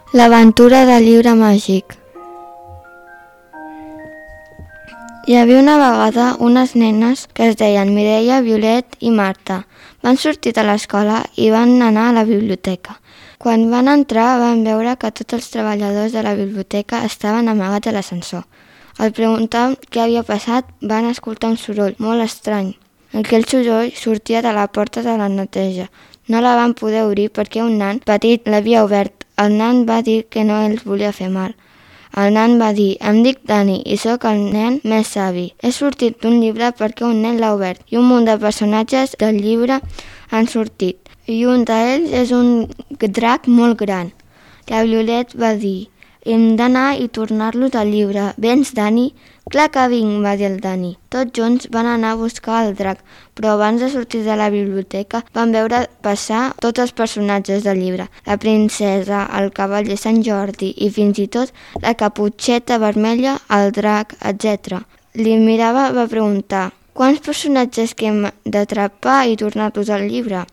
L'aventura del llibre màgic. Hi havia una vegada unes nenes que es deien Mireia, Violet i Marta. Van sortir de l'escola i van anar a la biblioteca. Quan van entrar van veure que tots els treballadors de la biblioteca estaven amagats a l'ascensor. Al preguntar què havia passat van escoltar un soroll molt estrany. Aquell soroll sortia de la porta de la neteja. No la van poder obrir perquè un nan petit l'havia obert. El nan va dir que no els volia fer mal. El nan va dir: em dic Dani i sóc el nen més savi. He sortit d'un llibre perquè un nen l'ha obert i un munt de personatges del llibre han sortit. I un d'ells és un drac molt gran. La Violet va dir: hem d'anar i tornar-los al llibre. Vens, Dani? Clar que vinc, va dir el Dani. Tots junts van anar a buscar el drac, però abans de sortir de la biblioteca van veure passar tots els personatges del llibre. La princesa, el cavaller Sant Jordi i fins i tot la caputxeta vermella, el drac, etc. Li mirava, va preguntar: quants personatges que hem d'atrapar i tornar-los al llibre?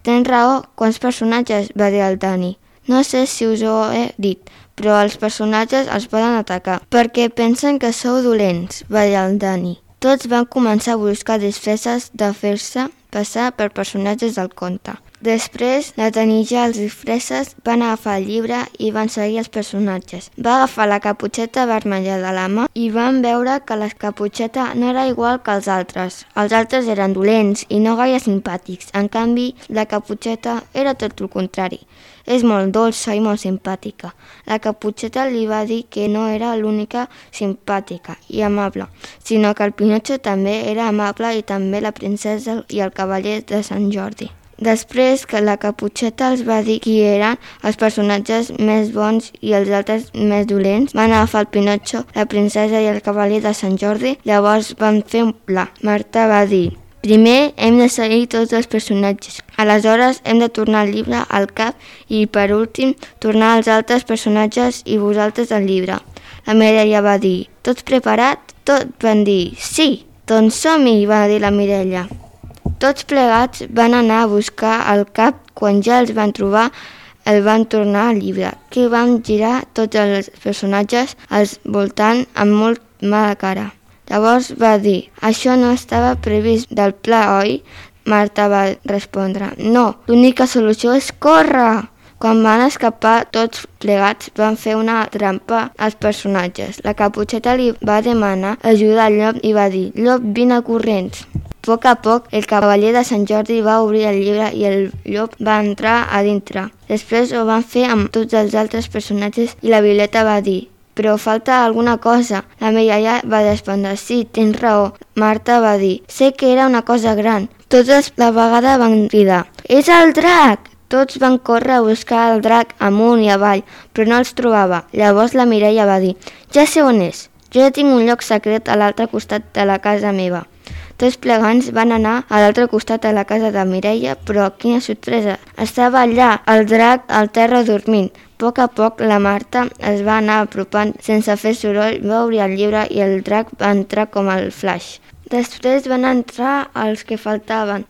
Tens raó, quants personatges? Va dir el Dani. No sé si us ho he dit, però els personatges els poden atacar, perquè pensen que sou dolents, va dir el Dani. Tots van començar a buscar disfresses de fer-se passar per personatges del conte. Després de tenir ja els disfresses, van agafar el llibre i van seguir els personatges. Va agafar la caputxeta vermella de la mà i van veure que la caputxeta no era igual que els altres. Els altres eren dolents i no gaire simpàtics. En canvi, la caputxeta era tot el contrari. És molt dolça i molt simpàtica. La caputxeta li va dir que no era l'única simpàtica i amable, sinó que el Pinotxo també era amable i també la princesa i el cavaller de Sant Jordi. Després que la caputxeta els va dir qui eren els personatges més bons i els altres més dolents, van agafar el Pinotxo, la princesa i el cavaller de Sant Jordi. Llavors van fer un pla. Marta va dir: primer hem de seguir tots els personatges. Aleshores hem de tornar el llibre al cap i, per últim, tornar als altres personatges i vosaltres al llibre. La Mireia va dir: tots preparat? Tots van dir: sí. Doncs som-hi, va dir la Mireia. Tots plegats van anar a buscar el cap. Quan ja els van trobar, el van tornar al llibre, que van girar tots els personatges al voltant amb molt mala cara. Llavors va dir: això no estava previst del pla, oi? Marta va respondre: no, l'única solució és córrer. Quan van escapar tots plegats van fer una trampa als personatges. La caputxeta li va demanar ajuda al llop i va dir: llop, vine corrents. A poc, el cavaller de Sant Jordi va obrir el llibre i el llop va entrar a dintre. Després ho van fer amb tots els altres personatges i la Violeta va dir: però falta alguna cosa. La Mireia va respondre: sí, tens raó. Marta va dir: sé que era una cosa gran. Tots a la vegada van cridar: és el drac! Tots van córrer a buscar el drac amunt i avall, però no els trobava. Llavors la Mireia va dir: ja sé on és. Jo ja tinc un lloc secret a l'altre costat de la casa meva. Tots plegants van anar a l'altre costat de la casa de Mireia, però quina sorpresa! Estava allà, el drac al terra dormint. A poc la Marta es va anar apropant sense fer soroll, va obrir el llibre i el drac va entrar com el flash. Després van entrar els que faltaven.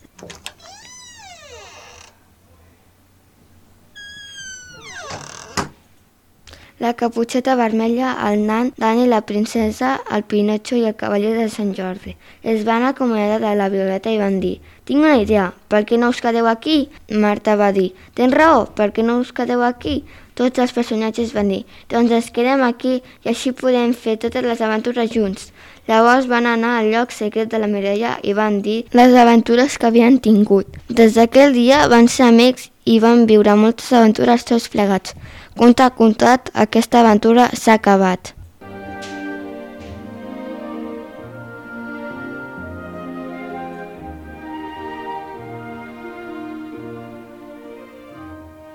La caputxeta vermella, el nan, Dani, la princesa, el Pinotxo i el cavaller de Sant Jordi. Es van acomiadar de la Violeta i van dir: tinc una idea, per què no us quedeu aquí? Marta va dir: tens raó, per què no us quedeu aquí? Tots els personatges van dir: doncs ens quedem aquí i així podem fer totes les aventures junts. Llavors van anar al lloc secret de la Mireia i van dir les aventures que havien tingut. Des d'aquell dia van ser amics i van viure moltes aventures tots plegats. Contat, aquesta aventura s'ha acabat.